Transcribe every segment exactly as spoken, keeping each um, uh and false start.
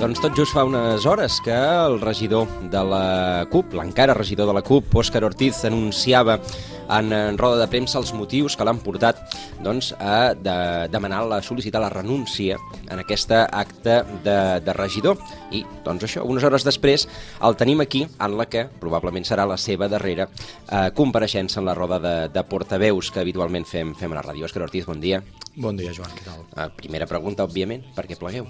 Doncs tot just fa unes hores que el regidor de la CUP, l'encara regidor de la CUP, Òscar Ortiz, anunciava en, en roda de premsa els motius que l'han portat doncs, a de, demanar la sol·licitar la renúncia en aquesta acte de, de regidor. I doncs això, unes hores després el tenim aquí en la que probablement serà la seva darrera eh, compareixença en la roda de, de portaveus que habitualment fem, fem a la ràdio. Òscar Ortiz, bon dia. Bon dia, Joan, què tal? Eh, primera pregunta, òbviament, per què plegueu?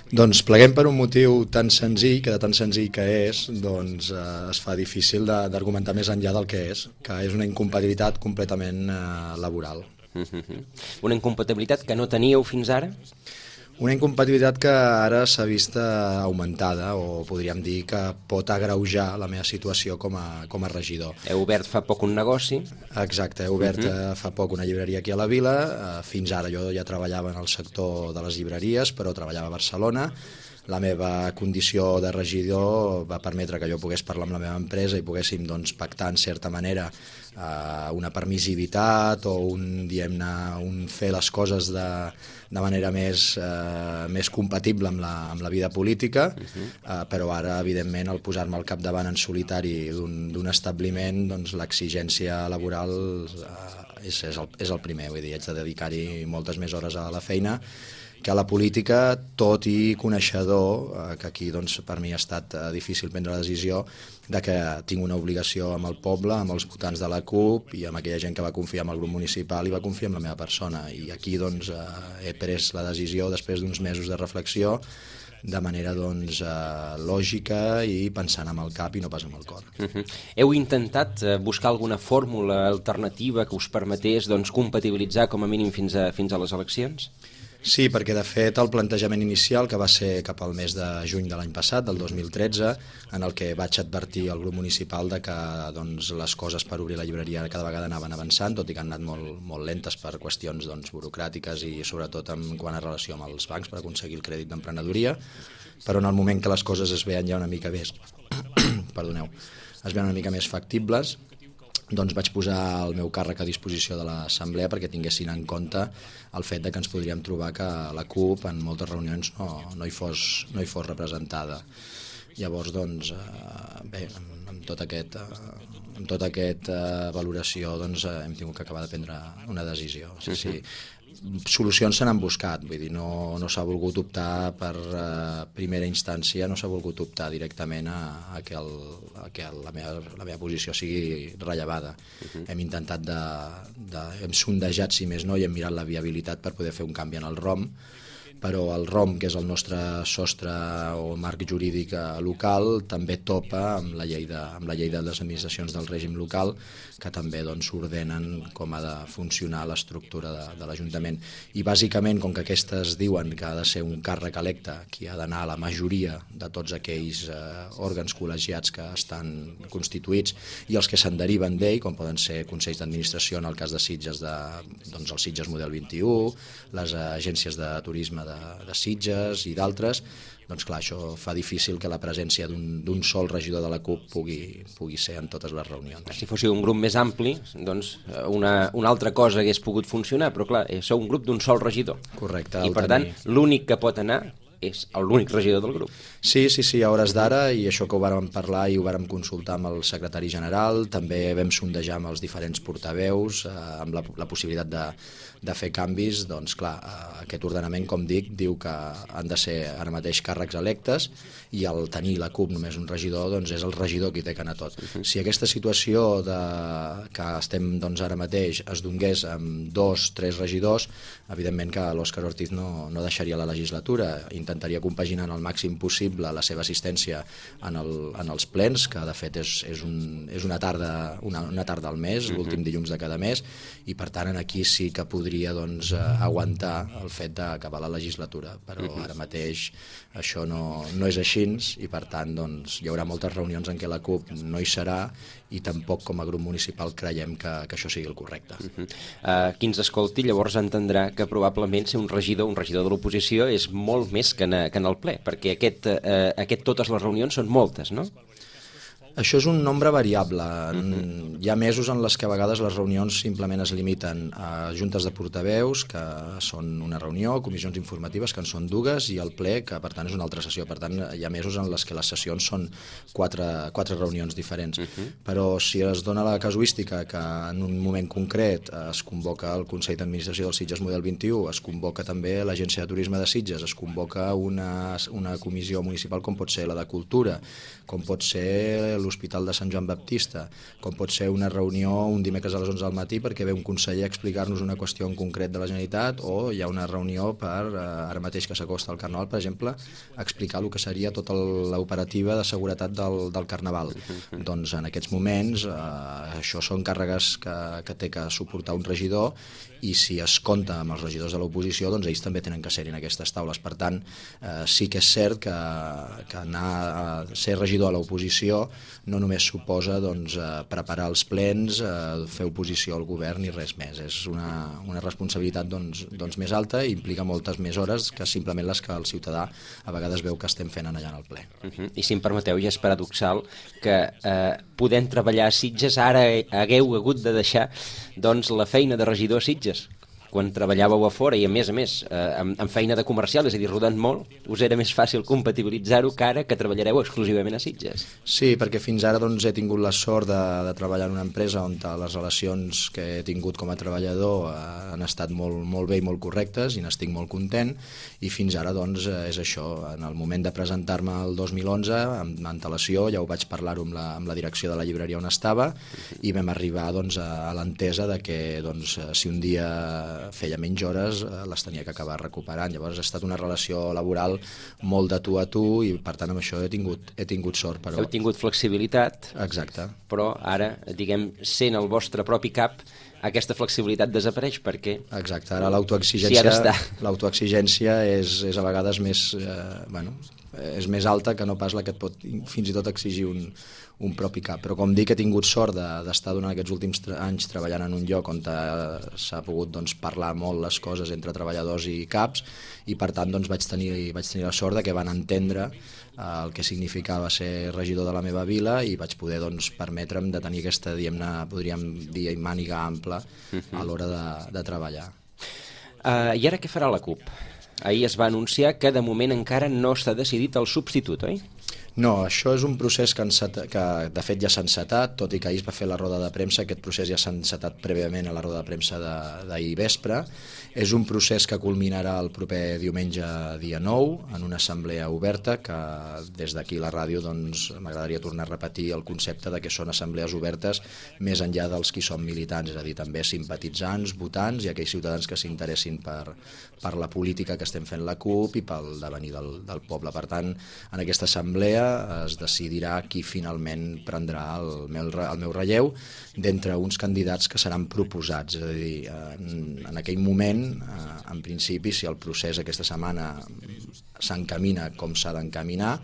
Doncs pleguem per un motiu tan senzill, que de tan senzill que és, doncs eh, es fa difícil d'argumentar més enllà del que és, que és una incompatibilitat completament eh, laboral. Mm-hmm. Una incompatibilitat que no teníeu fins ara? Una incompatibilitat que ara s'ha vist augmentada, o podríem dir que pot agreujar la meva situació com a, com a regidor. Heu obert fa poc un negoci? Exacte, he obert uh-huh. fa poc una llibreria aquí a la vila. Fins ara jo ja treballava en el sector de les llibreries, però treballava a Barcelona. La meva condició de regidor va permetre que jo pogués parlar amb la meva empresa i poguéssim doncs, pactar en certa manera eh, una permissivitat o un, diguem-ne, un fer les coses de, de manera més, eh, més compatible amb la, amb la vida política, uh-huh. eh, però ara, evidentment, al posar-me al capdavant en solitari d'un establiment, doncs l'exigència laboral eh, és, és, el, és el primer, vull dir, haig de dedicar-hi moltes més hores a la feina, que a la política, tot i coneixedor, eh, que aquí doncs, per mi ha estat eh, difícil prendre la decisió de que tinc una obligació amb el poble, amb els votants de la CUP i amb aquella gent que va confiar en el grup municipal i va confiar en la meva persona. I aquí doncs, eh, he pres la decisió, després d'uns mesos de reflexió, de manera doncs, eh, lògica i pensant amb el cap i no pas amb el cor. Uh-huh. Heu intentat eh, buscar alguna fórmula alternativa que us permetés doncs, compatibilitzar com a mínim fins a, fins a les eleccions? Sí, perquè de fet el plantejament inicial, que va ser cap al mes de juny de l'any passat, del dos mil tretze, en el que vaig advertir al grup municipal de que doncs, les coses per obrir la llibreria cada vegada anaven avançant, tot i que han anat molt, molt lentes per qüestions doncs, burocràtiques i sobretot en quant a relació amb els bancs per aconseguir el crèdit d'emprenedoria, però en el moment que les coses es veien ja una mica més, perdoneu, es veien una mica més factibles, doncs vaig posar el meu càrrec a disposició de l'assemblea perquè tinguessin en compte el fet de que ens podríem trobar que la CUP en moltes reunions no, no, hi, fos, no hi fos representada. Llavors, doncs, eh, bé, amb, amb tot aquest, eh, amb tota aquesta eh, valoració doncs, eh, hem tingut que acabar de prendre una decisió. Sí, sí. Solucions se n'han buscat, vull dir, no, no s'ha volgut optar per eh, primera instància, no s'ha volgut optar directament a, a que, el, a que la, meva, la meva posició sigui rellevada. Uh-huh. Hem intentat de, de, hem sondejat si més no i hem mirat la viabilitat per poder fer un canvi en el ROM, però el ROM, que és el nostre sostre o marc jurídic local, també topa amb la llei de, amb la llei de les administracions del règim local, que també doncs, ordenen com ha de funcionar l'estructura de, de l'Ajuntament. I bàsicament, com que aquestes diuen que ha de ser un càrrec electe qui ha d'anar a la majoria de tots aquells eh, òrgans col·legiats que estan constituïts i els que se'n deriven d'ell, com poden ser consells d'administració en el cas de Sitges, de, doncs el Sitges Model vint-i-u, les agències de turisme de, de Sitges i d'altres, doncs clar, això fa difícil que la presència d'un sol regidor de la CUP pugui, pugui ser en totes les reunions. Si fóssiu un grup més ampli, doncs una, una altra cosa hagués pogut funcionar, però clar, sou un grup d'un sol regidor. Correcte. I per tenir... tant, l'únic que pot anar és l'únic regidor del grup. Sí, sí, sí, a hores d'ara, i això que ho vàrem parlar i ho vàrem consultar amb el secretari general, també vam sondejar amb els diferents portaveus, eh, amb la, la possibilitat de, de fer canvis, doncs clar, eh, aquest ordenament, com dic, diu que han de ser ara mateix càrrecs electes i al tenir la CUP només un regidor, doncs és el regidor qui té que anar tot. Uh-huh. Si aquesta situació de, que estem doncs, ara mateix es donés amb dos, tres regidors, evidentment que l'Òscar Ortiz no, no deixaria la legislatura, intentaria compaginar al màxim possible la seva assistència en, el, en els plens, que de fet és, és, un, és una, tarda, una, una tarda al mes, uh-huh. l'últim dilluns de cada mes, i per tant aquí sí que podria doncs, aguantar el fet d'acabar la legislatura, però uh-huh. ara mateix això no, no és així i per tant doncs, hi haurà moltes reunions en què la CUP no hi serà i tampoc com a grup municipal creiem que, que això sigui el correcte. Uh-huh. uh, qui ens escolti llavors entendrà que probablement ser un regidor, un regidor de l'oposició és molt més que en, que en el ple, perquè aquest, uh, aquest totes les reunions són moltes, no? Això és un nombre variable. Uh-huh. Hi ha mesos en les que a vegades les reunions simplement es limiten a juntes de portaveus, que són una reunió, comissions informatives, que en són dues, i el ple, que per tant és una altra sessió. Per tant, hi ha mesos en les que les sessions són quatre, quatre reunions diferents. Uh-huh. Però si es dona la casuística que en un moment concret es convoca el Consell d'Administració del Sitges Model vint-i-u, es convoca també l'Agència de Turisme de Sitges, es convoca una, una comissió municipal com pot ser la de Cultura, com pot ser l'Hospital de Sant Joan Baptista, com pot ser una reunió un dimecres a les onze del matí perquè ve un conseller a explicar-nos una qüestió en concret de la Generalitat, o hi ha una reunió per, ara mateix que s'acosta al Carnaval, per exemple, explicar el que seria tota l'operativa de seguretat del, del Carnaval. Uh-huh. Doncs en aquests moments eh, això són càrregues que, que té que suportar un regidor, i si es compta amb els regidors de l'oposició, doncs ells també tenen que ser-hi en aquestes taules. Per tant, eh, sí que és cert que, que anar a ser regidor a l'oposició no només suposa doncs, eh, preparar els plens, eh, fer oposició al govern i res més. És una, una responsabilitat doncs, doncs més alta i implica moltes més hores que simplement les que el ciutadà a vegades veu que estem fent allà en el ple. Uh-huh. I si em permeteu, ja és paradoxal que eh, podent treballar a Sitges ara hagueu hagut de deixar doncs, la feina de regidor a Sitges, quan treballàveu a fora i a més a més eh, amb, amb feina de comercial, és a dir, rodant molt, us era més fàcil compatibilitzar-ho que ara que treballareu exclusivament a Sitges. Sí, perquè fins ara doncs, he tingut la sort de, de treballar en una empresa on les relacions que he tingut com a treballador eh, han estat molt, molt bé i molt correctes i n'estic molt content, i fins ara doncs, és això. En el moment de presentar-me el dos mil onze, amb antelació, ja ho vaig parlar-ho amb, la, amb la direcció de la llibreria on estava, i vam arribar doncs, a, a l'entesa de que doncs, si un dia feia menys hores, les tenia que acabar recuperant. Llavors ha estat una relació laboral molt de tu a tu, i per tant amb això he tingut, he tingut sort. Però... Heu tingut flexibilitat. Exacte. Però ara, diguem, sent el vostre propi cap, aquesta flexibilitat desapareix perquè... Exacte, ara l'autoexigència si l'autoexigència és, és a vegades més, eh, bueno, és més alta que no pas la que et pot fins i tot exigir un, un propi cap. Però com dic, he tingut sort d'estar durant aquests últims anys treballant en un lloc on s'ha pogut doncs, parlar molt les coses entre treballadors i caps, i per tant doncs, vaig, tenir, vaig tenir la sort de que van entendre el que significava ser regidor de la meva vila, i vaig poder doncs, permetre'm de tenir aquesta, diguem-ne, podríem dir, màniga ampla a l'hora de, de treballar. Uh, I ara què farà la CUP? Ahir es va anunciar que de moment encara no està decidit el substitut, oi? No, això és un procés que, que de fet ja s'ha encetat, tot i que ahir es va fer la roda de premsa. Aquest procés ja s'ha encetat prèviament a la roda de premsa d'ahir vespre. És un procés que culminarà el proper diumenge dia nou en una assemblea oberta, que des d'aquí la ràdio doncs, m'agradaria tornar a repetir el concepte de que són assemblees obertes més enllà dels qui són militants, és a dir, també simpatitzants, votants i aquells ciutadans que s'interessin per, per la política que estem fent la CUP i pel devenir del, del poble. Per tant, en aquesta assemblea es decidirà qui finalment prendrà el meu, el meu relleu d'entre uns candidats que seran proposats. És a dir, en, en aquell moment, en principi, si el procés aquesta setmana s'encamina com s'ha d'encaminar,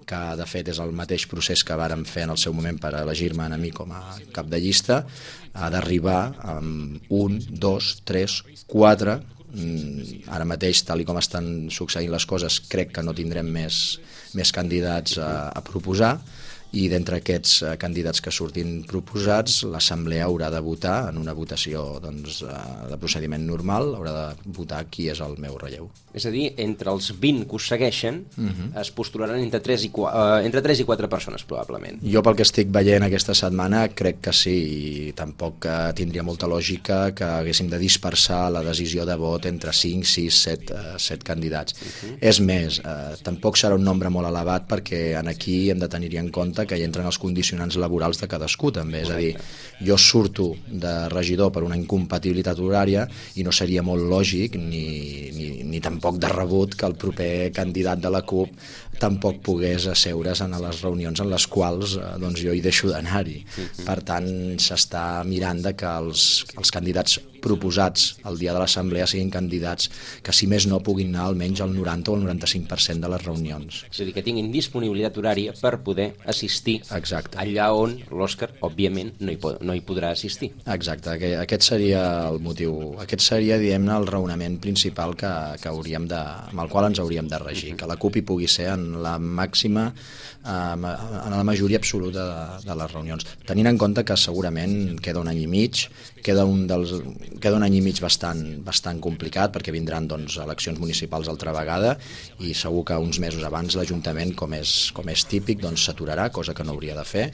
que de fet és el mateix procés que vàrem fer en el seu moment per elegir-me a mi com a cap de llista, ha d'arribar amb un, dos, tres, quatre... Ara mateix, tal i com estan succeint les coses, crec que no tindrem més, més candidats a, a proposar, i d'entre aquests candidats que surtin proposats, l'Assemblea haurà de votar en una votació doncs, de procediment normal, haurà de votar qui és el meu relleu. És a dir, entre els vint que us segueixen, uh-huh. es postularan entre tres i quatre persones, probablement. Jo, pel que estic veient aquesta setmana, crec que sí, i tampoc tindria molta lògica que haguéssim de dispersar la decisió de vot entre cinc, sis, set candidats. Uh-huh. És més, eh, tampoc serà un nombre molt elevat, perquè en aquí hem de tenir-hi en compte que hi entren els condicionants laborals de cadascú també, és a dir, jo surto de regidor per una incompatibilitat horària i no seria molt lògic ni, ni, ni tampoc de rebut que el proper candidat de la CUP tampoc pogués asseure's en les reunions en les quals eh, doncs jo hi deixo d'anar-hi. Per tant, s'està mirant de que els, els candidats proposats el dia de l'assemblea siguin candidats que, si més no, puguin anar almenys al noranta o el noranta-cinc per cent de les reunions. És a dir, que tinguin disponibilitat horària per poder assistir. Exacte. Allà on l'Òscar, òbviament, no hi, pod no hi podrà assistir. Exacte, aquest seria el motiu, aquest seria, diguem-ne, el raonament principal que, que hauríem de, amb el qual ens hauríem de regir, que la CUP hi pugui ser en la màxima, en la majoria absoluta de, de les reunions. Tenint en compte que segurament queda un any i mig, queda un, dels, queda un any i mig bastant, bastant complicat, perquè vindran doncs, eleccions municipals altra vegada, i segur que uns mesos abans l'Ajuntament, com és, com és típic, doncs s'aturarà, cosa que no hauria de fer,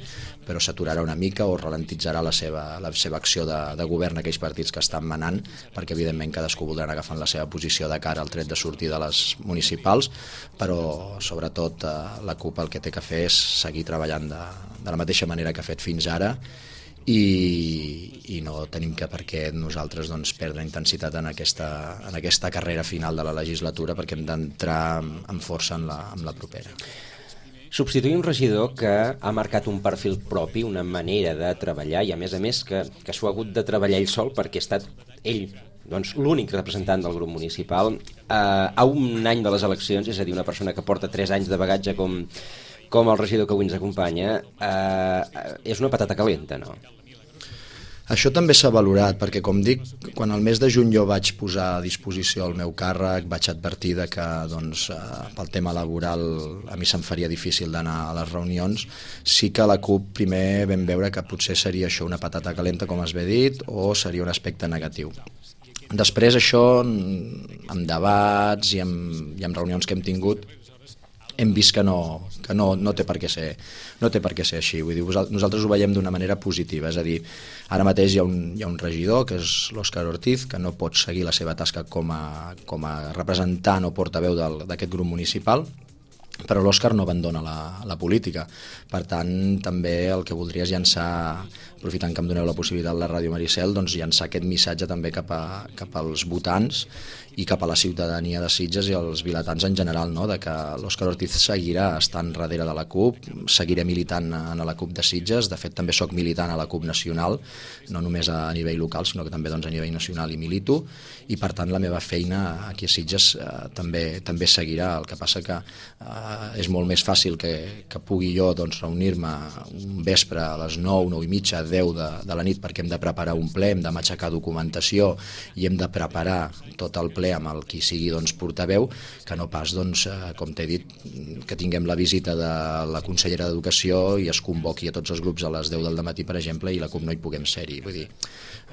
però s'aturarà una mica o ralentitzarà la seva, la seva acció de, de govern a aquells partits que estan manant, perquè evidentment cadascú voldrà anar agafant la seva posició de cara al tret de sortir de les municipals, però sobretot eh, la CUP el que té que fer és seguir treballant de, de la mateixa manera que ha fet fins ara, i, i no tenim que per què nosaltres doncs, perdre intensitat en aquesta, en aquesta carrera final de la legislatura, perquè hem d'entrar amb força en la, en la propera. Substituir un regidor que ha marcat un perfil propi, una manera de treballar, i a més a més que, que s'ho ha hagut de treballar ell sol perquè ha estat ell doncs, l'únic representant del grup municipal eh, a un any de les eleccions, és a dir, una persona que porta tres anys de bagatge com, com el regidor que avui ens acompanya, eh, és una patata calenta, no? Això també s'ha valorat, perquè, com dic, quan el mes de juny jo vaig posar a disposició el meu càrrec, vaig advertir de que doncs, pel tema laboral a mi se'm faria difícil d'anar a les reunions. Sí que la CUP primer vam veure que potser seria això una patata calenta, com es ve dit, o seria un aspecte negatiu. Després això, amb debats i amb, i amb reunions que hem tingut, hem vist que no, que no, no, té per què ser, no té per què ser així. Vull dir, nosaltres ho veiem d'una manera positiva, és a dir, ara mateix hi ha un, hi ha un regidor, que és l'Òscar Ortiz, que no pot seguir la seva tasca com a, com a representant o portaveu d'aquest grup municipal, però l'Òscar no abandona la, la política. Per tant, també el que voldria és llançar, aprofitant que em doneu la possibilitat a la Ràdio Maricel, doncs llançar aquest missatge també cap, a, cap als votants i cap a la ciutadania de Sitges i als vilatans en general, no? De que l'Òscar Ortiz seguirà estant darrere de la CUP, seguiré militant en la CUP de Sitges, de fet també sóc militant a la CUP nacional, no només a nivell local, sinó que també doncs, a nivell nacional i milito, i per tant la meva feina aquí a Sitges eh, també, també seguirà. El que passa que eh, és molt més fàcil que, que pugui jo doncs, reunir-me un vespre a les nou, nou i mitja, deu de, de la nit, perquè hem de preparar un ple, hem de matxacar documentació i hem de preparar tot el ple amb el qui sigui doncs, portaveu, que no pas, doncs, eh, com t'he dit, que tinguem la visita de la consellera d'Educació i es convoqui a tots els grups a les deu del matí, per exemple, i la CUP no hi puguem ser-hi. Vull dir,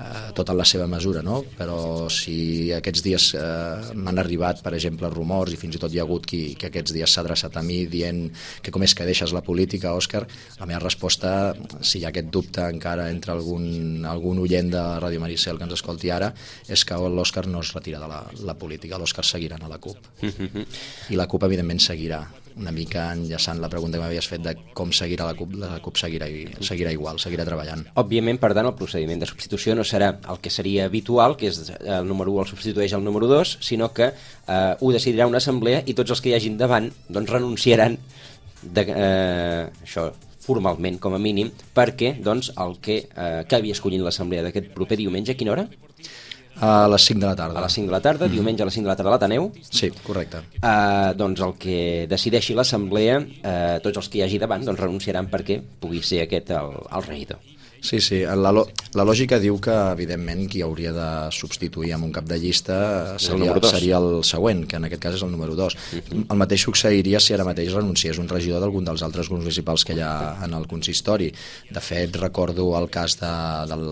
eh, tot en la seva mesura, no? Però si aquests dies eh, m'han arribat, per exemple, rumors, i fins i tot hi ha hagut qui que aquests dies s'ha adreçat a mi dient que com és que deixes la política, Òscar, la meva resposta, si hi ha aquest dubte encara entre algun, algun oient de Ràdio Maricel que ens escolti ara, és que l'Òscar no es retira de la, la política, l'Òscar seguirà a la CUP. I la CUP, evidentment, seguirà. Una mica enllaçant la pregunta que m'havies fet de com seguirà la CUP, la CUP seguirà, seguirà igual, seguirà treballant. Òbviament, per tant, el procediment de substitució no serà el que seria habitual, que és el número u el substitueix el número dos, sinó que eh, ho decidirà una assemblea i tots els que hi hagin davant doncs, renunciaran de, eh, això formalment, com a mínim, perquè doncs, el que eh, acabi escollint l'assemblea d'aquest proper diumenge, a quina hora? A les cinc de la tarda. A les cinc de la tarda, mm. diumenge a les cinc de la tarda a l'Ateneu. Sí, correcte. Uh, doncs el que decideixi l'assemblea, uh, tots els que hi hagi davant doncs renunciaran perquè pugui ser aquest el, el regidor. Sí, sí, la, la lògica diu que, evidentment, qui hauria de substituir amb un cap de llista seria el, seria el següent, que en aquest cas és el número dos. Uh-huh. El mateix succeiria si ara mateix renunciés un regidor d'algun dels altres grups municipals que hi ha en el consistori. De fet, recordo el cas de, del,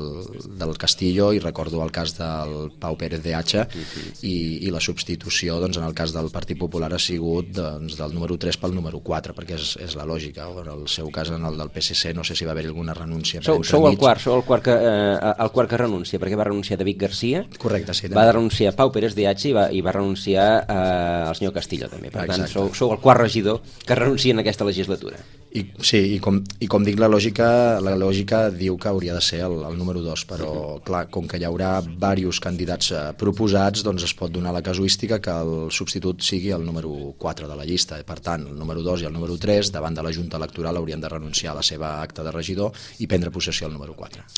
del Castillo i recordo el cas del Pau Pérez de Hacha, uh-huh. i, i la substitució, doncs, en el cas del Partit Popular ha sigut doncs, del número tres pel número quatre, perquè és, és la lògica. O en el seu cas, en el del P S C, no sé si va haver alguna renúncia. Sou, sou el quart, sou el quart que, eh, el quart que renuncia, perquè va renunciar David Garcia. Correcte, sí. Va renunciar Pau Pérez de Hacha i va, i va renunciar eh, el senyor Castillo, també. Per Exacte. tant, sou, sou el quart regidor que renuncia en aquesta legislatura. I, sí, i com, i com dic, la lògica, la lògica diu que hauria de ser el, el número dos, però, uh-huh. clar, com que hi haurà diversos candidats eh, proposats, doncs es pot donar la casuística que el substitut sigui el número quatre de la llista. Per tant, el número dos i el número tres, davant de la Junta Electoral, haurien de renunciar a la seva acta de regidor i prendre possessió al número quatre.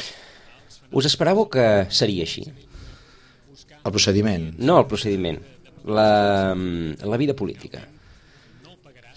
Us esperàveu que seria així? El procediment? No, el procediment. La, la vida política.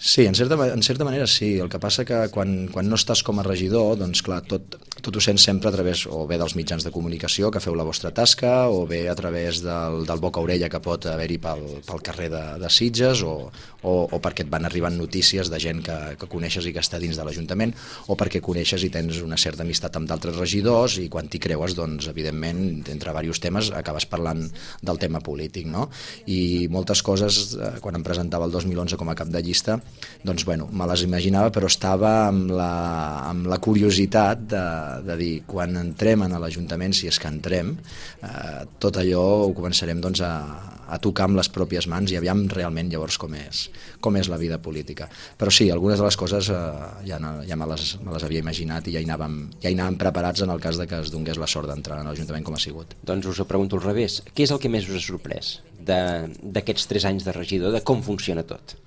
Sí, en certa, en certa manera sí. El que passa que quan, quan no estàs com a regidor, doncs clar, tot, tot ho sents sempre a través o bé dels mitjans de comunicació que feu la vostra tasca, o bé a través del, del boca-orella que pot haver-hi pel, pel carrer de, de Sitges, o, o, o perquè et van arribant notícies de gent que, que coneixes i que està dins de l'Ajuntament, o perquè coneixes i tens una certa amistat amb d'altres regidors i quan t'hi creues, doncs, evidentment, entre diversos temes acabes parlant del tema polític, no? I moltes coses, eh, quan em presentava el dos mil onze com a cap de llista, doncs bueno, me les imaginava, però estava amb la, amb la curiositat de, de dir, quan entrem a l'Ajuntament, si és que entrem, eh, tot allò ho començarem doncs, a, a tocar amb les pròpies mans i aviam realment llavors com és, com és la vida política. Però sí, algunes de les coses eh, ja, ja me, les, me les havia imaginat i ja hi, anàvem, ja hi anàvem preparats en el cas de que es donés la sort d'entrar a l'Ajuntament com ha sigut. Doncs us ho pregunto al revés. Què és el que més us ha sorprès d'aquests tres anys de regidor, de com funciona tot?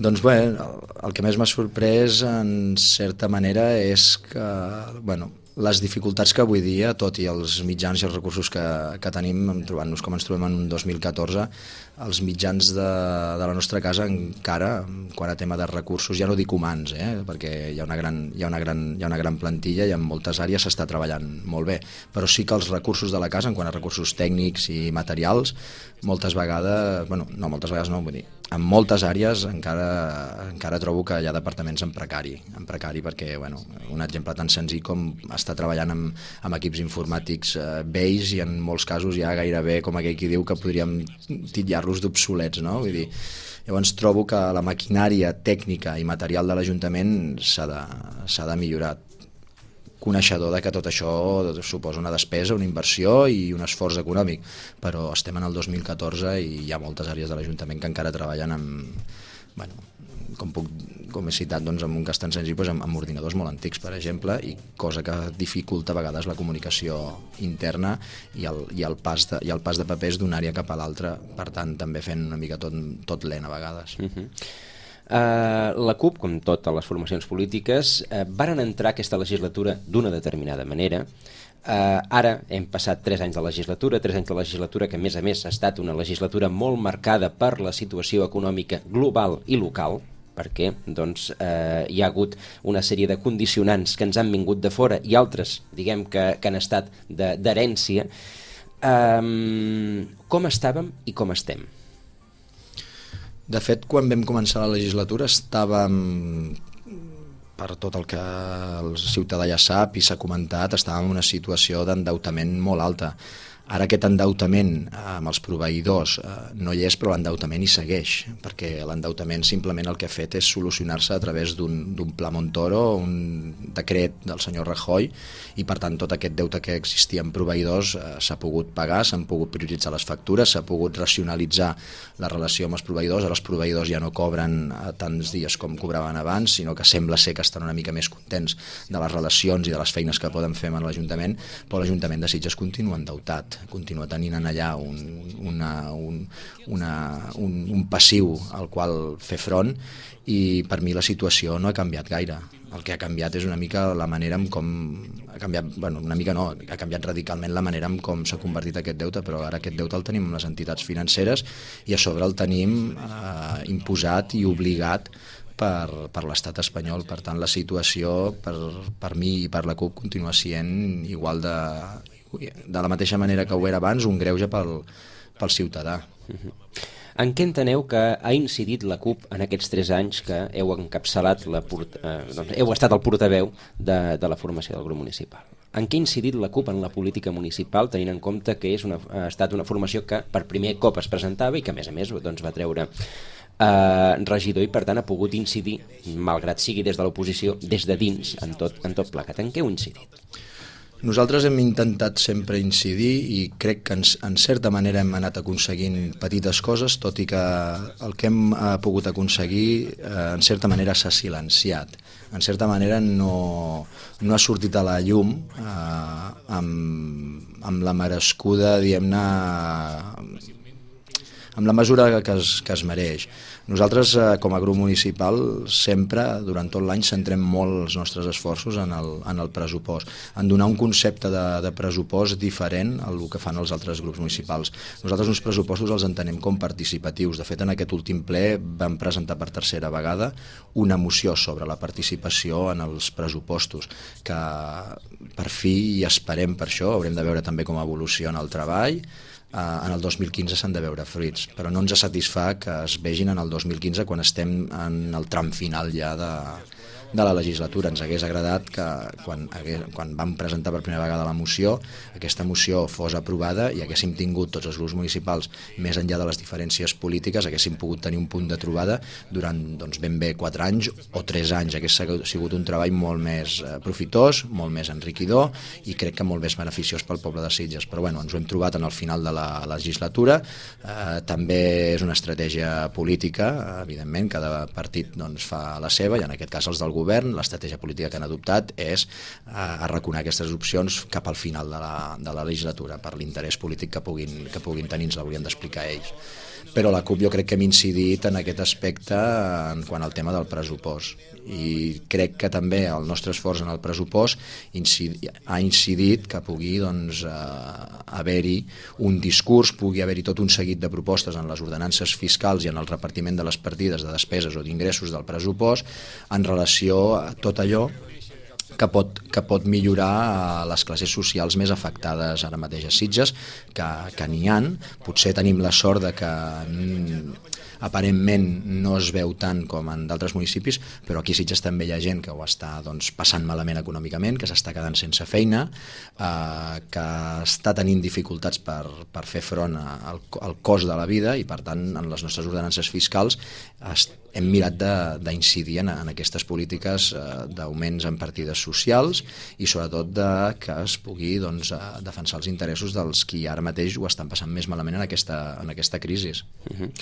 Doncs bé, el, el que més m'ha sorprès en certa manera és que, bueno, les dificultats que avui dia, tot i els mitjans i els recursos que, que tenim, trobant-nos com ens trobem en un dos mil catorze, els mitjans de, de la nostra casa encara, quan a tema de recursos, ja no dic humans, eh, perquè hi ha, una gran, hi, ha una gran, hi ha una gran plantilla i en moltes àrees s'està treballant molt bé, però sí que els recursos de la casa, en quant a recursos tècnics i materials, moltes vegades, bueno, no moltes vegades no, vull dir, en moltes àrees encara, encara trobo que hi ha departaments en precari, en precari perquè, bueno, un exemple tan senzill com estar treballant amb, amb equips informàtics eh, vells i en molts casos ja gairebé, com aquell qui diu, que podríem titllar-los d'obsolets, no? Vull dir, llavors trobo que la maquinària tècnica i material de l'Ajuntament s'ha de, s'ha de millorar. Coneixedor de que tot això suposa una despesa, una inversió i un esforç econòmic, però estem en el dos mil catorze i hi ha moltes àrees de l'Ajuntament que encara treballen amb, bueno, com, puc, com he citat, doncs, amb un cas tan senzill, doncs, amb, amb ordinadors molt antics, per exemple, i cosa que dificulta a vegades la comunicació interna i el, i el, pas, de, i el pas de papers d'una àrea cap a l'altra, per tant, també fent una mica tot, tot lent a vegades. Uh-huh. Uh, la CUP, com totes les formacions polítiques, uh, varen entrar aquesta legislatura d'una determinada manera. Uh, ara hem passat tres anys de legislatura, tres anys de legislatura que a més a més ha estat una legislatura molt marcada per la situació econòmica global i local, perquè doncs, eh, hi ha hagut una sèrie de condicionants que ens han vingut de fora i altres, diguem, que, que han estat d'herència. Um, com estàvem i com estem? De fet, quan vam començar la legislatura estàvem, per tot el que el ciutadà ja sap i s'ha comentat, estàvem en una situació d'endeutament molt alta. Ara aquest endeutament amb els proveïdors eh, no hi és, però l'endeutament hi segueix, perquè l'endeutament simplement el que ha fet és solucionar-se a través d'un pla Montoro, un decret del senyor Rajoy, i per tant tot aquest deute que existia en proveïdors eh, s'ha pogut pagar, s'han pogut prioritzar les factures, s'ha pogut racionalitzar la relació amb els proveïdors. Ara els proveïdors ja no cobren a tants dies com cobraven abans, sinó que sembla ser que estan una mica més contents de les relacions i de les feines que poden fer amb l'Ajuntament, però l'Ajuntament de Sitges continua endeutat, continua tenint en allà un, una, un, una, un, un passiu al qual fer front, i per mi la situació no ha canviat gaire. El que ha canviat és una mica la manera en com ha canviat, bueno, una mica no, ha canviat radicalment la manera en com s'ha convertit aquest deute, però ara aquest deute el tenim amb les entitats financeres i a sobre el tenim eh, imposat i obligat per, per l'estat espanyol. Per tant, la situació per, per mi i per la CUP continua sent igual de, de la mateixa manera que ho era abans, un greuge pel, pel ciutadà. Uh-huh. En què enteneu que ha incidit la CUP en aquests tres anys que heu encapçalat, la port... eh, doncs heu estat el portaveu de, de la formació del grup municipal? En què ha incidit la CUP en la política municipal, tenint en compte que és una, ha estat una formació que per primer cop es presentava i que a més a més doncs, va treure eh, regidor i per tant ha pogut incidir, malgrat sigui des de l'oposició, des de dins, en tot, en tot plegat? En què heu incidit? Nosaltres hem intentat sempre incidir i crec que en, en certa manera hem anat aconseguint petites coses, tot i que el que hem eh, pogut aconseguir eh, en certa manera s'ha silenciat. En certa manera no, no ha sortit a la llum eh, amb, amb la merescuda, diguem-ne, amb la mesura que es, que es mereix. Nosaltres, eh, com a grup municipal, sempre, durant tot l'any, centrem molt els nostres esforços en el, en el pressupost, en donar un concepte de, de pressupost diferent al que fan els altres grups municipals. Nosaltres uns pressupostos els entenem com participatius. De fet, en aquest últim ple vam presentar per tercera vegada una moció sobre la participació en els pressupostos, que per fi, i esperem per això, haurem de veure també com evoluciona el treball. Uh, en el dos mil quinze s'han de veure fruits, però no ens satisfà que es vegin en el dos mil quinze quan estem en el tram final ja de, de la legislatura. Ens hagués agradat que quan, hagués, quan vam presentar per primera vegada la moció, aquesta moció fos aprovada i haguéssim tingut tots els grups municipals, més enllà de les diferències polítiques, haguéssim pogut tenir un punt de trobada durant doncs, ben bé quatre anys o tres anys. Hagués sigut un treball molt més eh, profitós, molt més enriquidor i crec que molt més beneficiós pel poble de Sitges. Però bueno, ens ho hem trobat en el final de la legislatura. Eh, també és una estratègia política, evidentment, cada partit doncs, fa la seva, i en aquest cas els del govern, l'estratègia política que han adoptat és eh, arraconar aquestes opcions cap al final de la, de la legislatura per l'interès polític que puguin, que puguin tenir, ens l'haurien d'explicar ells. Però la CUP jo crec que hem incidit en aquest aspecte en quant al tema del pressupost, i crec que també el nostre esforç en el pressupost incidi, ha incidit que pugui doncs, eh, haver-hi un discurs, pugui haver-hi tot un seguit de propostes en les ordenances fiscals i en el repartiment de les partides de despeses o d'ingressos del pressupost en relació a tot allò que pot, que pot millorar les classes socials més afectades ara mateix a Sitges, que, que n'hi ha. Potser tenim la sort de que mm, aparentment no es veu tant com en d'altres municipis, però aquí a Sitges també hi ha gent que ho està doncs, passant malament econòmicament, que s'està quedant sense feina, eh, que està tenint dificultats per, per fer front al, al cost de la vida, i per tant en les nostres ordenances fiscals est, hem mirat d'incidir en, en aquestes polítiques eh, d'augments en partides socials i sobretot de que es pugui doncs, eh, defensar els interessos dels qui ara mateix ho estan passant més malament en aquesta, en aquesta crisi. Uh-huh.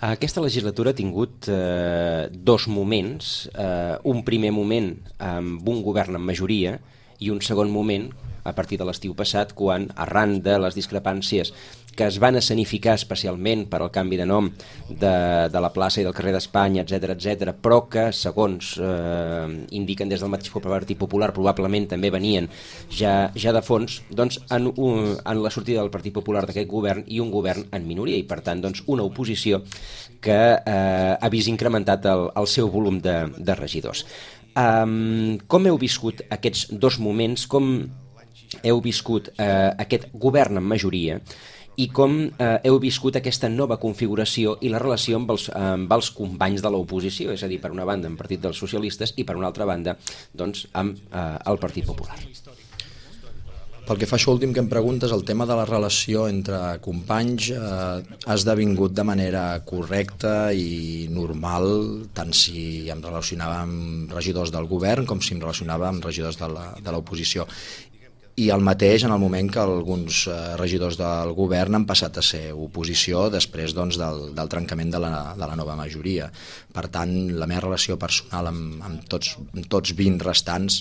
Aquesta legislatura ha tingut eh, dos moments, eh, un primer moment amb un govern amb majoria i un segon moment a partir de l'estiu passat, quan arran de les discrepàncies que es van escenificar especialment per al canvi de nom de, de la plaça i del carrer d'Espanya, etcètera, etcètera, però que, segons eh, indiquen des del mateix Partit Popular, probablement també venien ja, ja de fons, doncs en, un, en la sortida del Partit Popular d'aquest govern i un govern en minoria, i per tant doncs, una oposició que eh, ha vist incrementat el, el seu volum de, de regidors. Um, com heu viscut aquests dos moments? Com heu viscut eh, aquest govern amb majoria i com eh, heu viscut aquesta nova configuració i la relació amb els, amb els companys de l'oposició, és a dir, per una banda amb el Partit dels Socialistes i per una altra banda doncs, amb eh, el Partit Popular? Pel que fa a això últim que em preguntes, el tema de la relació entre companys eh, ha esdevingut de manera correcta i normal, tant si em relacionava amb regidors del govern com si em relacionava amb regidors de l'oposició. I el mateix en el moment que alguns eh, regidors del govern han passat a ser oposició després doncs, del, del trencament de la, de la nova majoria. Per tant, la meva relació personal amb, amb, tots, amb tots vint restants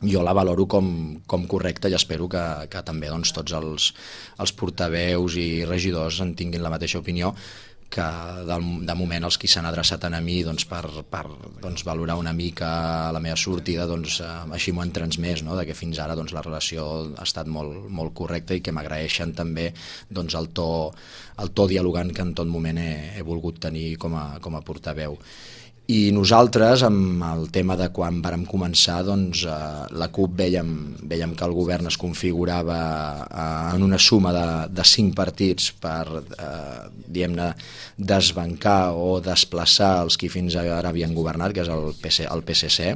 jo la valoro com, com correcta, i espero que, que també doncs, tots els, els portaveus i regidors en tinguin la mateixa opinió, que de, de moment els qui s'han adreçat a mi doncs, per, per doncs, valorar una mica la meva sortida, doncs, eh, així m'ho han transmès, no? De que fins ara doncs, la relació ha estat molt, molt correcta i que m'agraeixen també doncs, el, to, el to dialogant que en tot moment he, he volgut tenir com a, com a portaveu. I nosaltres, amb el tema de quan vàrem començar, doncs, eh, la CUP vèiem, vèiem que el govern es configurava eh, en una suma de, de cinc partits per eh, diguem-ne desbancar o desplaçar els qui fins ara havien governat, que és el P C, el P S C,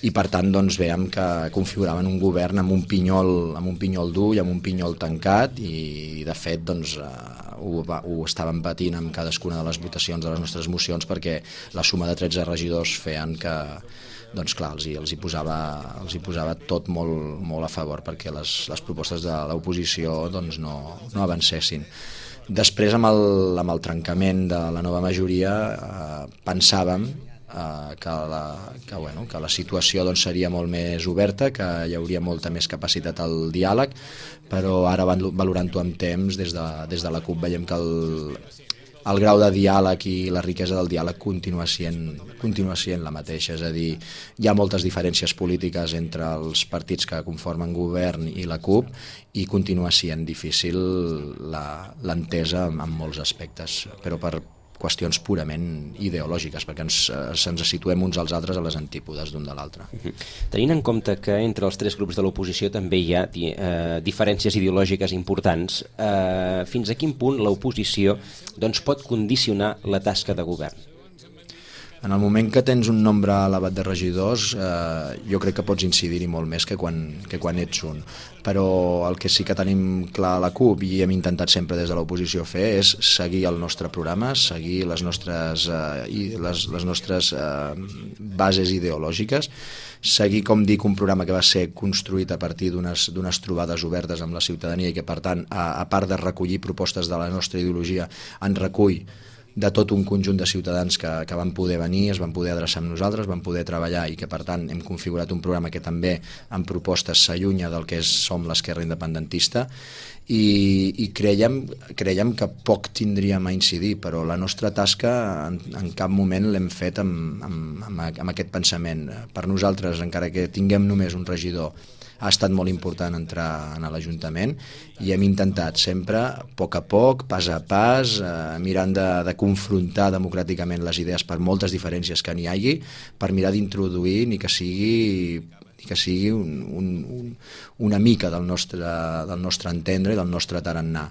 i per tant doncs, veiem que configuraven un govern amb un pinyol, amb un pinyol dur i amb un pinyol tancat, i de fet doncs, eh, ho, ho estàvem patint amb cadascuna de les votacions de les nostres mocions, perquè la suma de tretze regidors feien que doncs, clar, els, hi, els, hi posava, els hi posava tot molt, molt a favor perquè les, les propostes de l'oposició doncs, no, no avancessin. Després, amb el, amb el trencament de la nova majoria, eh, pensàvem Uh, que, la, que, bueno, que la situació doncs, seria molt més oberta, que hi hauria molta més capacitat al diàleg, però ara valorant-ho amb temps, des de, des de la CUP veiem que el, el grau de diàleg i la riquesa del diàleg continua sent, continua sent la mateixa, és a dir, hi ha moltes diferències polítiques entre els partits que conformen govern i la CUP i continua sent difícil l'entesa en molts aspectes, però per qüestions purament ideològiques, perquè ens, ens situem uns als altres a les antípodes d'un de l'altre. Tenint en compte que entre els tres grups de l'oposició també hi ha eh, diferències ideològiques importants, eh, fins a quin punt l'oposició doncs, pot condicionar la tasca de govern? En el moment que tens un nombre elevat de regidors, eh, jo crec que pots incidir-hi molt més que quan, que quan ets un. Però el que sí que tenim clar a la CUP i hem intentat sempre des de l'oposició fer és seguir el nostre programa, seguir les nostres, eh, i les, les nostres eh, bases ideològiques, seguir, com dic, un programa que va ser construït a partir d'unes d'unes trobades obertes amb la ciutadania i que, per tant, a, a part de recollir propostes de la nostra ideologia, en recull de tot un conjunt de ciutadans que, que van poder venir, es van poder adreçar amb nosaltres, van poder treballar i que, per tant, hem configurat un programa que també en propostes s'allunya del que és, som l'esquerra independentista i, i creiem, creiem que poc tindríem a incidir, però la nostra tasca en, en cap moment l'hem fet amb, amb, amb, amb aquest pensament. Per nosaltres, encara que tinguem només un regidor, ha estat molt important entrar en l'Ajuntament i hem intentat sempre, a poc a poc, pas a pas, eh, mirant de, de confrontar democràticament les idees per moltes diferències que n'hi hagi, per mirar d'introduir ni que sigui, ni que sigui un, un, un, una mica del nostre, del nostre entendre i del nostre tarannà.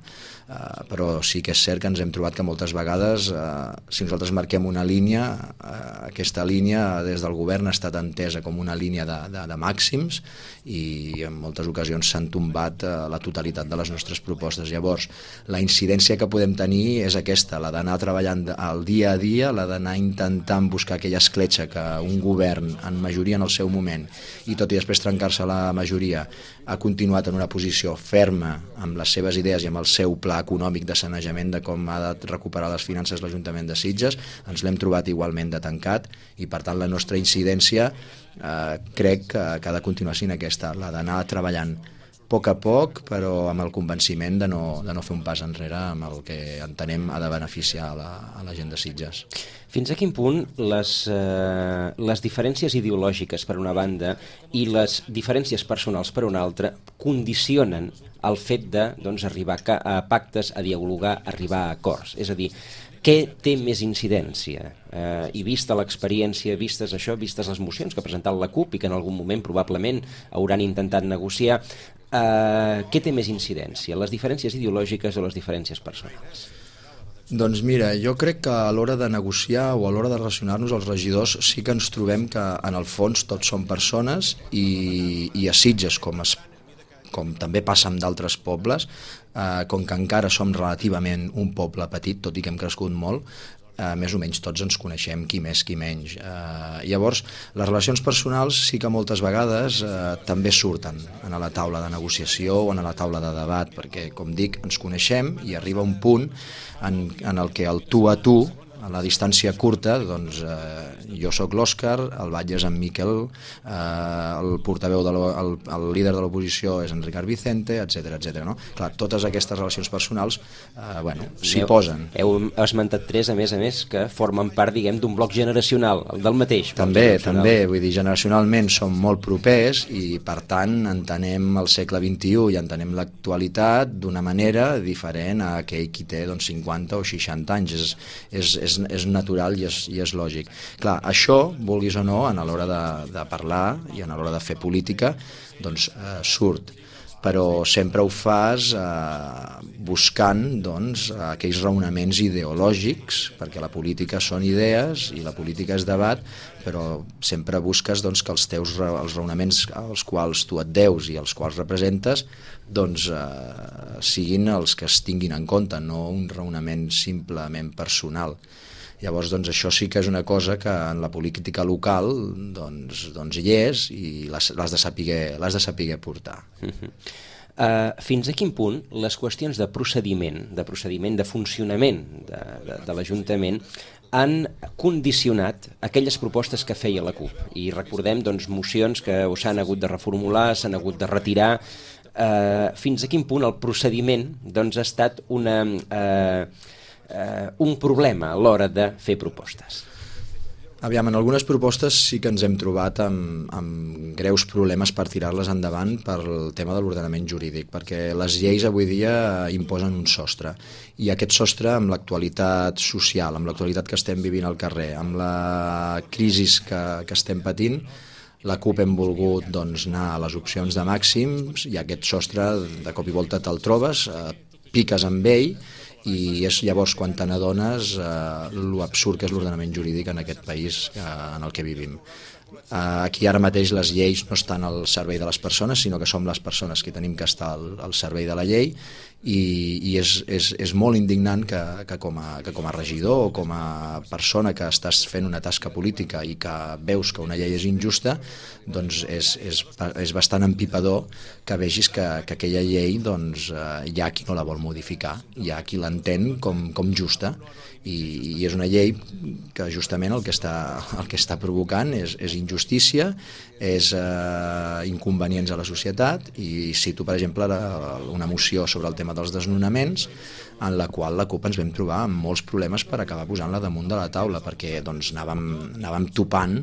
Uh, però sí que és cert que ens hem trobat que moltes vegades, uh, si nosaltres marquem una línia, uh, aquesta línia des del govern ha estat entesa com una línia de, de, de màxims i en moltes ocasions s'han tombat uh, la totalitat de les nostres propostes. Llavors, la incidència que podem tenir és aquesta, la d'anar treballant al dia a dia, la d'anar intentant buscar aquella escletxa que un govern, en majoria en el seu moment, i tot i després trencar-se la majoria, ha continuat en una posició ferma amb les seves idees i amb el seu pla econòmic de sanejament de com ha de recuperar les finances l'Ajuntament de Sitges, ens l'hem trobat igualment de tancat i, per tant, la nostra incidència eh, crec que, que ha de continuar sent aquesta, la d'anar treballant a poc a poc, però amb el convenciment de no, de no fer un pas enrere amb el que entenem ha de beneficiar a la, a la gent de Sitges. Fins a quin punt les, eh, les diferències ideològiques per una banda i les diferències personals per una altra condicionen el fet de doncs, arribar a pactes, a dialogar, a arribar a acords? És a dir, què té més incidència? Eh, I vista l'experiència, vistes això, vistes les mocions que ha presentat la CUP i que en algun moment probablement hauran intentat negociar, eh, què té més incidència? Les diferències ideològiques o les diferències personals? Doncs mira, jo crec que a l'hora de negociar o a l'hora de relacionar-nos els regidors sí que ens trobem que en el fons tots som persones i, i a Sitges, com, es, com també passa amb d'altres pobles, eh, com que encara som relativament un poble petit, tot i que hem crescut molt, eh, més o menys tots ens coneixem, qui més, qui menys. Eh, llavors, les relacions personals sí que moltes vegades eh, també surten a la taula de negociació o a la taula de debat, perquè, com dic, ens coneixem i arriba un punt en, en el que el tu a tu, a la distància curta, doncs eh, jo sóc l'Òscar, el batlle és en Miquel, eh, el portaveu, de el, el líder de l'oposició és en Ricard Vicente, etcètera, etcètera. No? Clar, totes aquestes relacions personals, eh, bueno, s'hi posen. Heu esmentat tres, a més a més, que formen part, diguem, d'un bloc generacional, el del mateix. També, també, vull dir, generacionalment som molt propers i, per tant, entenem el segle vint-i-u i entenem l'actualitat d'una manera diferent a aquell qui té doncs, cinquanta o seixanta anys. És, és, és, és natural i és, i és lògic. Clar, això, vulguis o no, a l'hora de, de parlar i a l'hora de fer política, doncs eh, surt. Però sempre ho fas eh, buscant doncs, aquells raonaments ideològics, perquè la política són idees i la política és debat, però sempre busques doncs, que els teus els raonaments als quals tu et deus i els quals representes doncs, eh, siguin els que es tinguin en compte, no un raonament simplement personal. Llavors, doncs, això sí que és una cosa que en la política local doncs, doncs hi és i l'has de saber, l'has de saber portar. Uh-huh. Uh, fins a quin punt les qüestions de procediment, de procediment de funcionament de, de, de l'Ajuntament han condicionat aquelles propostes que feia la CUP? I recordem doncs, mocions que s'han hagut de reformular, s'han hagut de retirar. Uh, fins a quin punt el procediment doncs, ha estat una... Uh, eh, un problema a l'hora de fer propostes? Aviam, en algunes propostes sí que ens hem trobat amb, amb greus problemes per tirar-les endavant pel tema de l'ordenament jurídic, perquè les lleis avui dia imposen un sostre, i aquest sostre, amb l'actualitat social, amb l'actualitat que estem vivint al carrer, amb la crisi que, que estem patint, la CUP hem volgut doncs, anar a les opcions de màxims, i aquest sostre de cop i volta te'l trobes, eh, piques amb ell, i és llavors quan te n'adones eh, l'absurd que és l'ordenament jurídic en aquest país eh, en el que vivim. Eh, aquí ara mateix les lleis no estan al servei de les persones, sinó que som les persones que tenim que estar al, al servei de la llei, i, i és, és, és molt indignant que, que, com a, que com a regidor o com a persona que estàs fent una tasca política i que veus que una llei és injusta, doncs és, és, és bastant empipador que vegis que, que aquella llei doncs, eh, hi ha qui no la vol modificar, hi ha qui l'entén com, com justa, i, i és una llei que justament el que està, el que està provocant és, és injustícia, és eh, inconvenients a la societat, i cito per exemple la, una moció sobre el tema dels desnonaments, en la qual la CUP ens vam trobar amb molts problemes per acabar posant-la damunt de la taula, perquè doncs, anàvem, anàvem topant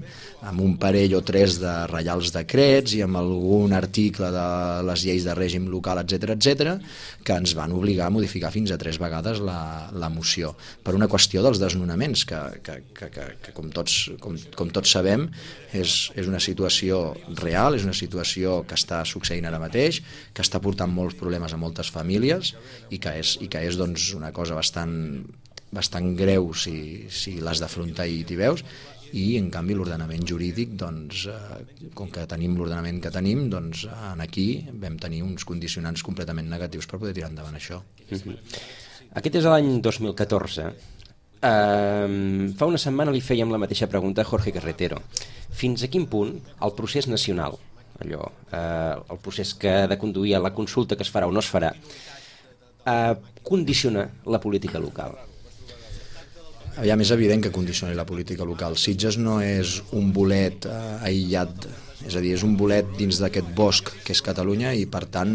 amb un parell o tres de reials decrets i amb algun article de les lleis de règim local, etcètera, etcètera, que ens van obligar a modificar fins a tres vegades la, la moció, per una qüestió dels desnonaments, que, que, que, que, que com, tots, com, com tots sabem és, és una situació real, és una situació que està succeint ara mateix, que està portant molts problemes a moltes famílies, i que és, i que és doncs, una cosa bastant, bastant greu si, si l'has d'afrontar i t'hi veus, i en canvi l'ordenament jurídic, doncs, eh, com que tenim l'ordenament que tenim, doncs en aquí vam tenir uns condicionants completament negatius per poder tirar endavant això. Mm-hmm. Aquest és l'any dos mil catorze. Uh, fa una setmana li fèiem la mateixa pregunta a Jorge Carretero. Fins a quin punt el procés nacional, allò, uh, el procés que ha de conduir a la consulta que es farà o no es farà, uh, condiciona la política local? Aviam, és evident que condiciona la política local. Sitges no és un bolet eh, aïllat, és a dir, és un bolet dins d'aquest bosc que és Catalunya, i per tant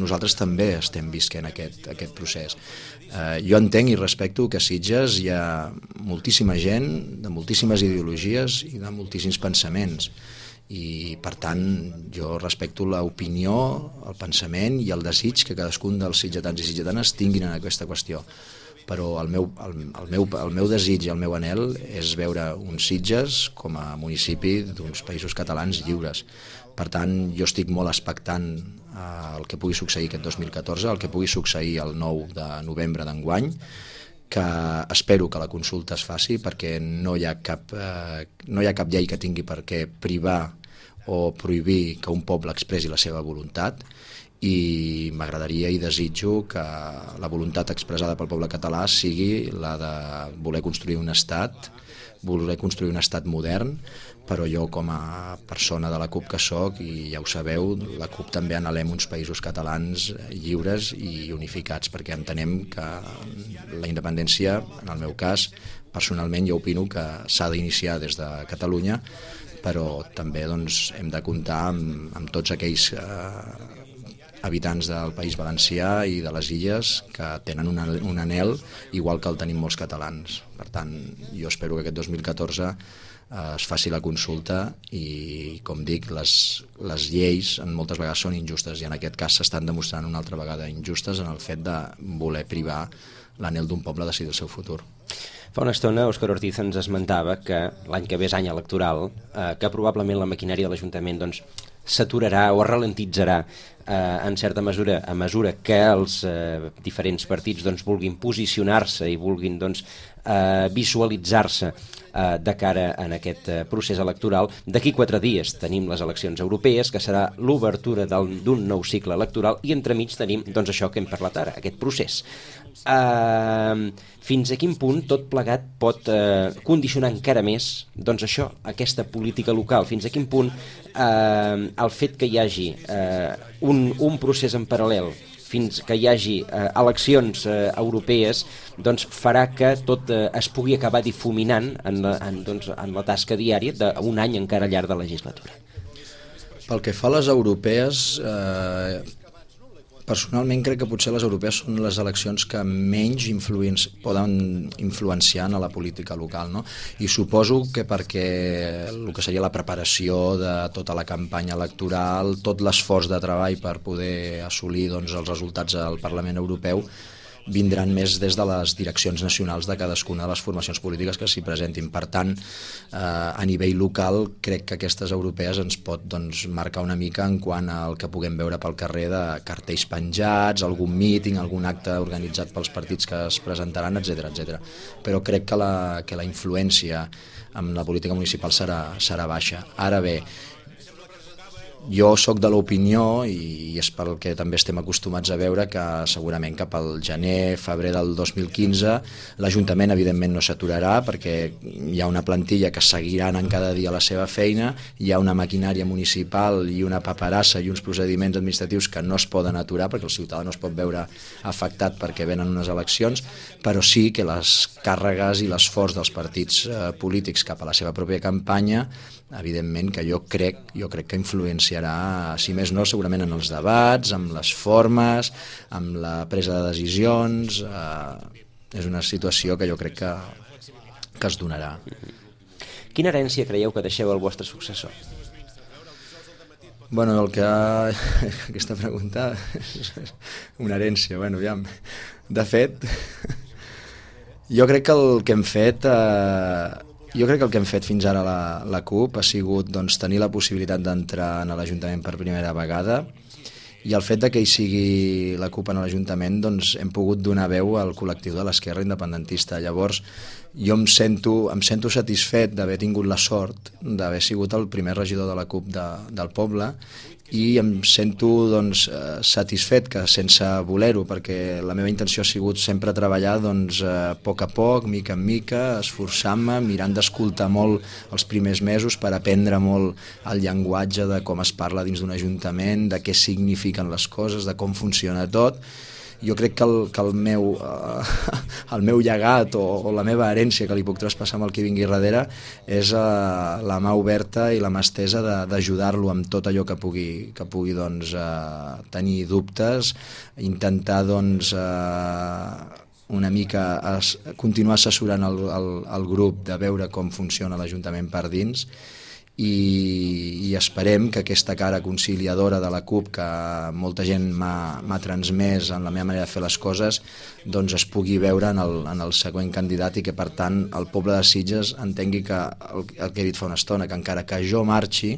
nosaltres també estem visquent aquest, aquest procés. Eh, jo entenc i respecto que a Sitges hi ha moltíssima gent de moltíssimes ideologies i de moltíssims pensaments, i per tant jo respecto l'opinió, el pensament i el desig que cadascun dels sitgetans i sitgetanes tinguin en aquesta qüestió. Però el meu, el, el, meu, el meu desig i el meu anhel és veure uns Sitges com a municipi d'uns països catalans lliures. Per tant, jo estic molt expectant al que pugui succeir aquest dos mil catorze, el que pugui succeir el nou de novembre d'enguany, que espero que la consulta es faci, perquè no hi ha cap, eh, no hi ha cap llei que tingui per què privar o prohibir que un poble expressi la seva voluntat, i m'agradaria i desitjo que la voluntat expressada pel poble català sigui la de voler construir un estat, voler construir un estat modern, però jo com a persona de la CUP que soc, i ja ho sabeu, la CUP també anhelem uns països catalans lliures i unificats, perquè entenem que la independència, en el meu cas, personalment jo opino que s'ha d'iniciar des de Catalunya, però també doncs, hem de comptar amb, amb tots aquells eh, habitants del País Valencià i de les Illes que tenen un, un anhel igual que el tenim molts catalans. Per tant, jo espero que aquest dos mil catorze eh, es faci la consulta, i com dic, les, les lleis en moltes vegades són injustes, i en aquest cas s'estan demostrant una altra vegada injustes en el fet de voler privar l'anhel d'un poble a decidir el seu futur. Fa una estona Òscar Ortiz ens esmentava que l'any que ve és any electoral, eh, que probablement la maquinària de l'Ajuntament doncs, s'aturarà o es ralentitzarà eh, en certa mesura a mesura que els eh, diferents partits doncs, vulguin posicionar-se i vulguin doncs, eh, visualitzar-se eh, de cara en aquest eh, procés electoral. D'aquí quatre dies tenim les eleccions europees, que serà l'obertura d'un nou cicle electoral, i entremig tenim doncs, això que hem parlat ara, aquest procés. Uh, fins a quin punt tot plegat pot uh, condicionar encara més doncs això, aquesta política local? Fins a quin punt uh, el fet que hi hagi uh, un, un procés en paral·lel, fins que hi hagi uh, eleccions uh, europees, doncs farà que tot uh, es pugui acabar difuminant en la, en, doncs, en la tasca diària d'un any encara llarg de legislatura? Pel que fa a les europees, eh, Personalment crec que potser les europees són les eleccions que menys influenci poden influenciar en la política local, no? I suposo que perquè el que seria la preparació de tota la campanya electoral, tot l'esforç de treball per poder assolir doncs, els resultats al Parlament Europeu vindran més des de les direccions nacionals de cadascuna de les formacions polítiques que s'hi presentin. Per tant, eh, a nivell local, crec que aquestes europees ens pot doncs, marcar una mica en quant al que puguem veure pel carrer de cartells penjats, algun míting, algun acte organitzat pels partits que es presentaran, etcètera etcètera. Però crec que la, que la influència en la política municipal serà, serà baixa. Ara bé, jo sóc de l'opinió, i és pel que també estem acostumats a veure, que segurament cap al gener, febrer del dos mil quinze l'Ajuntament evidentment no s'aturarà perquè hi ha una plantilla que seguirà anant cada dia a la seva feina, hi ha una maquinària municipal i una paperassa i uns procediments administratius que no es poden aturar perquè el ciutadà no es pot veure afectat perquè venen unes eleccions, però sí que les càrregues i l'esforç dels partits eh, polítics cap a la seva pròpia campanya, evidentment que jo crec, jo crec que influenciarà, si més no, segurament en els debats, amb les formes, amb la presa de decisions. Eh, és una situació que jo crec que, que es donarà. Quina herència creieu que deixeu al vostre successor? Bueno, el que... Aquesta pregunta és una herència, bueno, aviam. De fet, jo crec que el que hem fet... Eh, Jo crec que el que hem fet fins ara la, la CUP ha sigut doncs, tenir la possibilitat d'entrar en l'Ajuntament per primera vegada, i el fet de que hi sigui la CUP en l'Ajuntament doncs, hem pogut donar veu al col·lectiu de l'esquerra independentista. Llavors jo em sento, em sento satisfet d'haver tingut la sort d'haver sigut el primer regidor de la CUP de, del poble, i em sento doncs, satisfet que sense voler-ho, perquè la meva intenció ha sigut sempre treballar doncs, a poc a poc, mica en mica, esforçant-me, mirant d'escoltar molt els primers mesos per aprendre molt el llenguatge de com es parla dins d'un ajuntament, de què signifiquen les coses, de com funciona tot. Jo crec que el, que el, meu, eh, el meu llegat o, o la meva herència que li puc traspassar amb el que vingui darrere és eh, la mà oberta i la mà estesa d'ajudar-lo amb tot allò que pugui, que pugui doncs, eh, tenir dubtes, intentar doncs, eh, una mica as, continuar assessorant el, el, el grup de veure com funciona l'Ajuntament per dins, i, i esperem que aquesta cara conciliadora de la CUP que molta gent m'ha transmès en la meva manera de fer les coses doncs es pugui veure en el, en el següent candidat, i que per tant el poble de Sitges entengui que el, el que he dit fa una estona, que encara que jo marxi,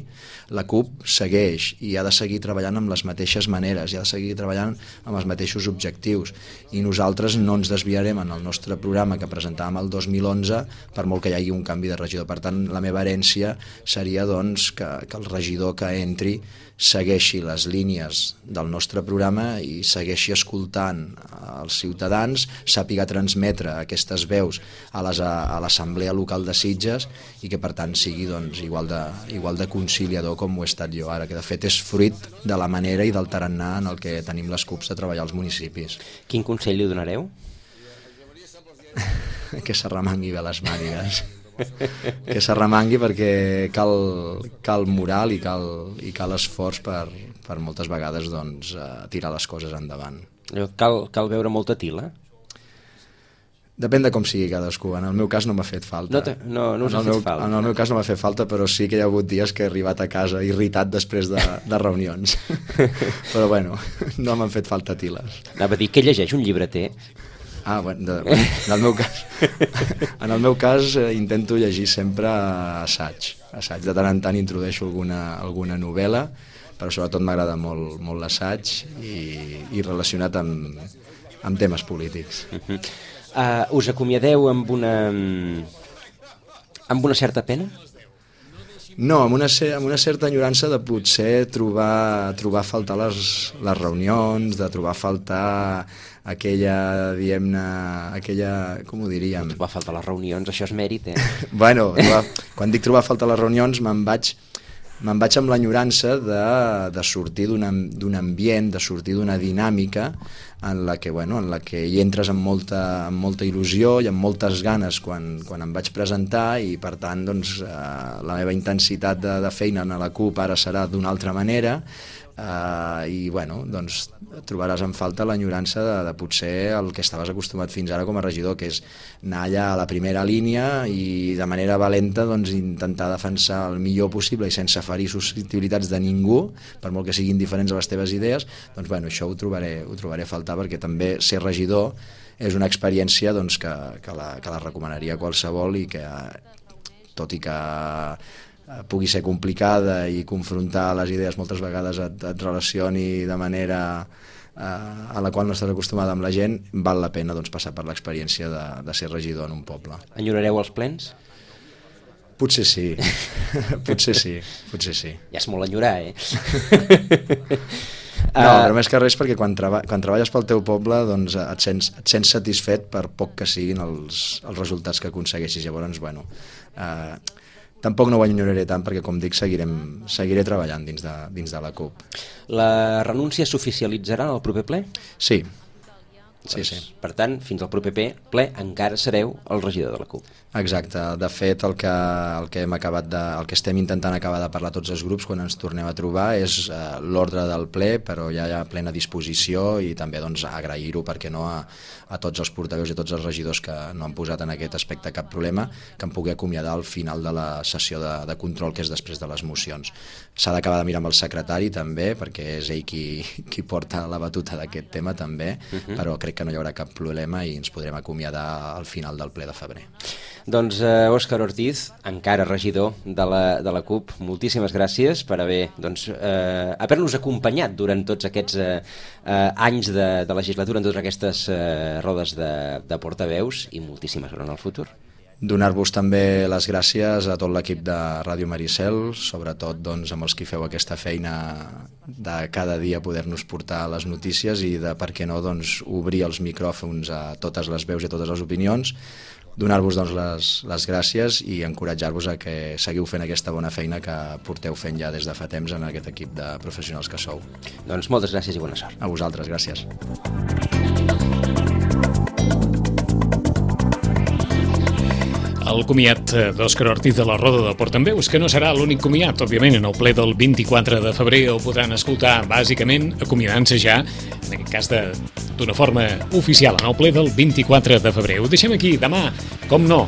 la CUP segueix i ha de seguir treballant amb les mateixes maneres, i ha de seguir treballant amb els mateixos objectius, i nosaltres no ens desviarem en el nostre programa que presentàvem el dos mil onze per molt que hi hagi un canvi de regidor. Per tant, la meva herència seria doncs, que, que el regidor que entri segueixi les línies del nostre programa i segueixi escoltant els ciutadans, sàpiga transmetre aquestes veus a l'Assemblea Local de Sitges, i que per tant sigui doncs, igual, de, igual de conciliador com ho he estat jo ara, que de fet és fruit de la manera i del tarannà en el que tenim les CUPs de treballar als municipis. Quin consell li donareu? Que s'arremangui bé les mànigues. Que s'arremangui, perquè cal, cal moral i cal, i cal esforç per, per moltes vegades doncs, tirar les coses endavant. Cal, cal veure molta tila? Depèn de com sigui cadascú. En el meu cas no m'ha fet falta. No, te, no, no us ha fet meu, falta. En el meu cas no m'ha fet falta, però sí que hi ha hagut dies que he arribat a casa irritat després de, de reunions. Però bueno, no m'han fet falta tiles. Anava a dir, què llegeix un llibreter? Ah, bueno, de, en el meu cas, en el meu cas eh, intento llegir sempre assaig. assaig. De tant en tant introdueixo alguna, alguna novel·la, però sobretot m'agrada molt, molt l'assaig i, i relacionat amb, amb temes polítics. Uh-huh. uh, us acomiadeu amb una, amb una certa pena? No, amb una, amb una certa enyorança de potser trobar, trobar a faltar les, les reunions, de trobar a faltar aquella, diguem-ne, aquella, com ho diríem? Trobar a faltar les reunions, això és mèrit, eh? Bueno, trobar, quan dic trobar a faltar les reunions me'n vaig, me'n vaig amb l'enyorança de, de sortir d'un ambient, de sortir d'una dinàmica en la que, bueno, en la que hi entres amb molta, amb molta il·lusió i amb moltes ganes quan, quan em vaig presentar, i per tant doncs, eh, la meva intensitat de, de feina a la CUP ara serà d'una altra manera. Uh, i bueno, doncs trobaràs en falta l'enyorança de, de potser el que estaves acostumat fins ara com a regidor, que és anar allà a la primera línia i de manera valenta doncs, intentar defensar el millor possible i sense ferir susceptibilitats de ningú, per molt que siguin diferents a les teves idees. Doncs bueno, això ho trobaré, ho trobaré a faltar, perquè també ser regidor és una experiència doncs, que, que, la, que la recomanaria a qualsevol, i que tot i que pugui ser complicada i confrontar les idees moltes vegades et, et relacioni de manera eh, a la qual no estàs acostumada amb la gent, val la pena doncs, passar per l'experiència de, de ser regidor en un poble. Enyorareu els plens? Potser sí, potser sí, potser sí. Ja és molt enyorar, eh? No, però més que res perquè quan, treba, quan treballes pel teu poble doncs et sents, et sents satisfet per poc que siguin els, els resultats que aconsegueixis. Llavors, bueno, eh, tampoc no ho enyoraré tant, perquè, com dic, seguirem, seguiré treballant dins de, dins de la CUP. La renúncia s'oficialitzarà al proper ple? Sí. Doncs, sí, sí. Per tant, fins al proper ple encara sereu el regidor de la CUP. Exacte. De fet, el que, el que, hem acabat de, el que estem intentant acabar de parlar tots els grups quan ens tornem a trobar és eh, l'ordre del ple, però ja hi ha plena disposició, i també doncs, agrair-ho, perquè no, a, a tots els portaveus i a tots els regidors que no han posat en aquest aspecte cap problema, que em pugui acomiadar al final de la sessió de, de control, que és després de les mocions. S'ha d'acabar de mirar amb el secretari també, perquè és ell qui, qui porta la batuta d'aquest tema també, uh-huh. Però crec que no hi haurà cap problema i ens podrem acomiadar al final del ple de febrer. Doncs eh, Òscar Ortiz, encara regidor de la, de la CUP, moltíssimes gràcies per haver, doncs, eh, haver-nos acompanyat durant tots aquests eh, eh, anys de, de legislatura, en totes aquestes eh, rodes de, de portaveus, i moltíssimes gràcies en el futur. Donar-vos també les gràcies a tot l'equip de Ràdio Maricel, sobretot doncs, amb els que feu aquesta feina de cada dia poder-nos portar les notícies i de, per què no, doncs, obrir els micròfons a totes les veus i a totes les opinions. Donar-vos doncs, les, les gràcies i encoratjar-vos a que seguiu fent aquesta bona feina que porteu fent ja des de fa temps en aquest equip de professionals que sou. Doncs moltes gràcies i bona sort. A vosaltres, gràcies. El comiat d'Òscar Ortiz de la Roda de Portaveus, que no serà l'únic comiat, òbviament, en el ple del vint-i-quatre de febrer el podran escoltar, bàsicament, acomiadant-se ja, en aquest cas d'una forma oficial, en el ple del vint-i-quatre de febrer. Ho deixem aquí, demà, com no,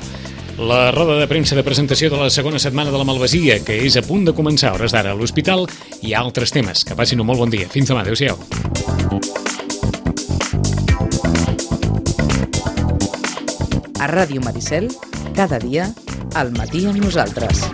la roda de premsa de presentació de la segona setmana de la Malvasia, que és a punt de començar a hores d'ara a l'hospital, i altres temes. Que passin un molt bon dia. Fins demà. Adéu-siau. A Ràdio Maricel, cada dia, al matí amb nosaltres.